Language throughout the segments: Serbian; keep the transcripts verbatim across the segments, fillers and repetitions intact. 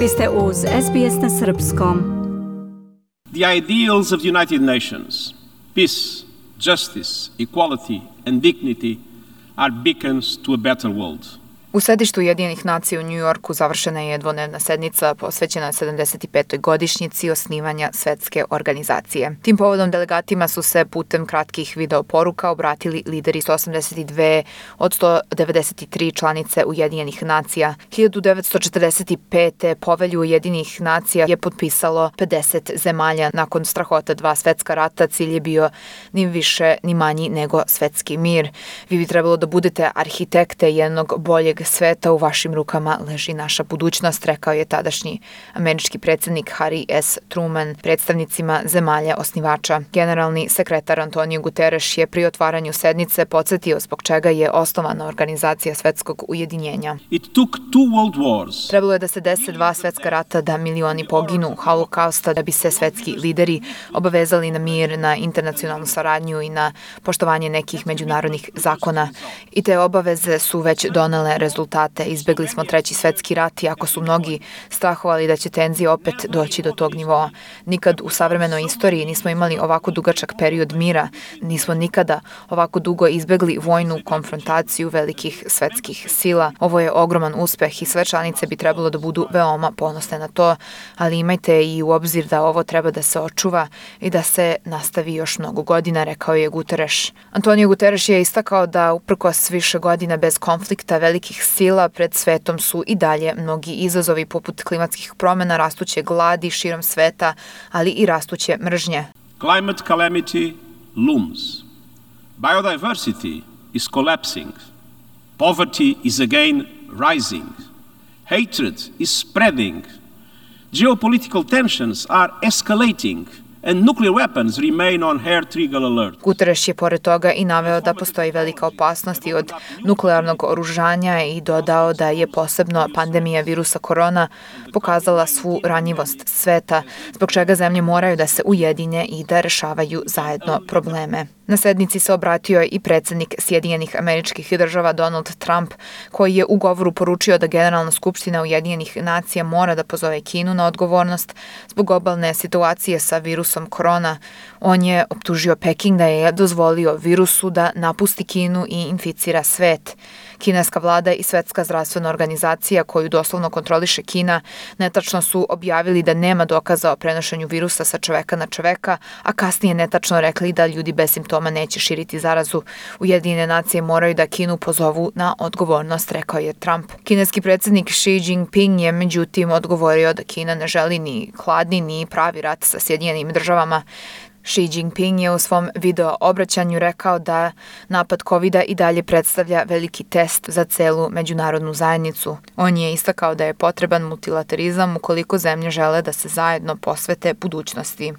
Vi ste uz S B S na srpskom. The ideals of the United Nations, peace, justice, equality and dignity are beacons to a better world. U sedištu Ujedinjenih nacija u New Yorku završena je dvodnevna sednica posvećena sedamdeset petoj godišnjici osnivanja svetske organizacije. Tim povodom delegatima su se putem kratkih video poruka obratili lideri sto osamdeset dve od sto devedeset tri članice Ujedinjenih nacija. hiljadu devetsto četrdeset pete povelju Ujedinjenih nacija je potpisalo pedeset zemalja. Nakon strahota dva svetska rata cilj je bio ni više ni manji nego svetski mir. Vi bi trebalo da budete arhitekte jednog boljeg sveta, u vašim rukama leži naša budućnost, rekao je tadašnji američki predsjednik Harry S. Truman predstavnicima zemalja osnivača. Generalni sekretar Antonio Guterres je pri otvaranju sednice podsjetio zbog čega je osnovana organizacija svetskog ujedinjenja. It took two world wars. Trebalo je da se dese dva svetska rata, da milioni poginu holokausta, da bi se svetski lideri obavezali na mir, na internacionalnu saradnju i na poštovanje nekih međunarodnih zakona. I te obaveze su već donele rezultate. Izbegli smo treći svetski rat, iako su mnogi strahovali da će tenzije opet doći do tog nivoa. Nikad u savremenoj istoriji nismo imali ovako dugačak period mira, nismo nikada ovako dugo izbegli vojnu konfrontaciju velikih svetskih sila. Ovo je ogroman uspeh i sve članice bi trebalo da budu veoma ponosne na to, ali imajte i u obzir da ovo treba da se očuva i da se nastavi još mnogo godina, rekao je Guterres. Antonio Guterres je istakao da uprkos više godina bez konflikta velikih sila pred svetom su i dalje mnogi izazovi poput klimatskih promjena, rastuće gladi širom sveta, ali i rastuće mržnje. Climate calamity looms. Biodiversity is collapsing. Poverty is again rising. Hatred is spreading. Geopolitical tensions are escalating. And nuclear weapons remain on hair trigger alert. Guterres je pored toga i naveo da postoji velika opasnost i od nuklearnog oružanja i dodao da je posebno pandemija virusa korona pokazala svu ranjivost sveta, zbog čega zemlje moraju da se ujedinje i da rešavaju zajedno probleme. Na sednici se obratio i predsjednik Sjedinjenih Američkih Država Donald Trump, koji je u govoru poručio da Generalna skupština Ujedinjenih nacija mora da pozove Kinu na odgovornost zbog globalne situacije sa virusom korona. On je optužio Peking da je dozvolio virusu da napusti Kinu i inficira svet. Kineska vlada i Svetska zdravstvena organizacija, koju doslovno kontroliše Kina, netačno su objavili da nema dokaza o prenošenju virusa sa čoveka na čoveka, a kasnije netačno rekli da ljudi bez simptoma neće širiti zarazu. Ujedinjene nacije moraju da Kinu pozovu na odgovornost, rekao je Trump. Kineski predsjednik Xi Jinping je međutim odgovorio da Kina ne želi ni hladni ni pravi rat sa Sjedinjenim državama. Xi Jinping je u svom video obraćanju rekao da napad kovida i dalje predstavlja veliki test za celu međunarodnu zajednicu. On je istakao da je potreban multilaterizam ukoliko zemlje žele da se zajedno posvete budućnosti.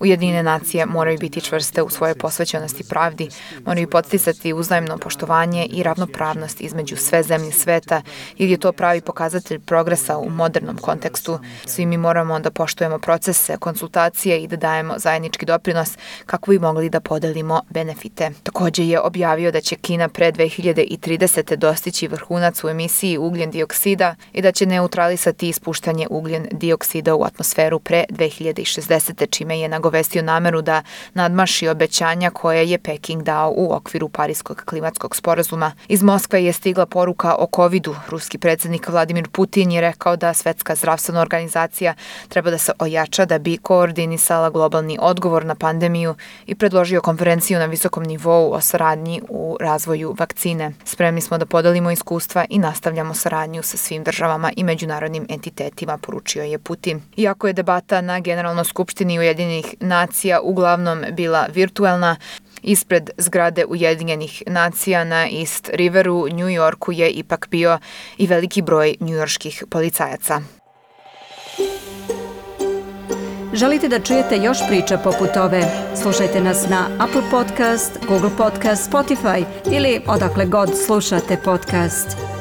Ujedinjene nacije moraju biti čvrste u svojoj posvećenosti pravdi, moraju podsticati uzajamno poštovanje i ravnopravnost između sve zemlje sveta, jer je to pravi pokazatelj progresa u modernom kontekstu. Svi mi moramo da poštujemo procese, konsultacije i da dajemo zajednički doprinos kako bi mogli da podelimo benefite. Također je objavio da će Kina pre dve hiljade tridesete dostići vrhunac u emisiji ugljen dioksida i da će neutralisati ispuštanje ugljen dioksida u atmosferu pre dve hiljade šezdesete čime je nagovestio nameru da nadmaši obećanja koje je Peking dao u okviru Pariskog klimatskog sporazuma. Iz Moskve je stigla poruka o covidu. Ruski predsjednik Vladimir Putin je rekao da Svetska zdravstvena organizacija treba da se ojača da bi koordinirala koordinisala globalni odgovor na pandemiju i predložio konferenciju na visokom nivou o saradnji u razvoju vakcine. Spremni smo da podelimo iskustva i nastavljamo saradnju sa svim državama i međunarodnim entitetima, poručio je Putin. Iako je debata na Generalnoj skupštini Ujedinjenih nacija uglavnom bila virtuelna, ispred zgrade Ujedinjenih nacija na East Riveru u New Yorku je ipak bio i veliki broj njujorških policajaca. Želite da čujete još priča poput ove? Slušajte nas na Apple Podcast, Google Podcast, Spotify ili odakle god slušate podcast.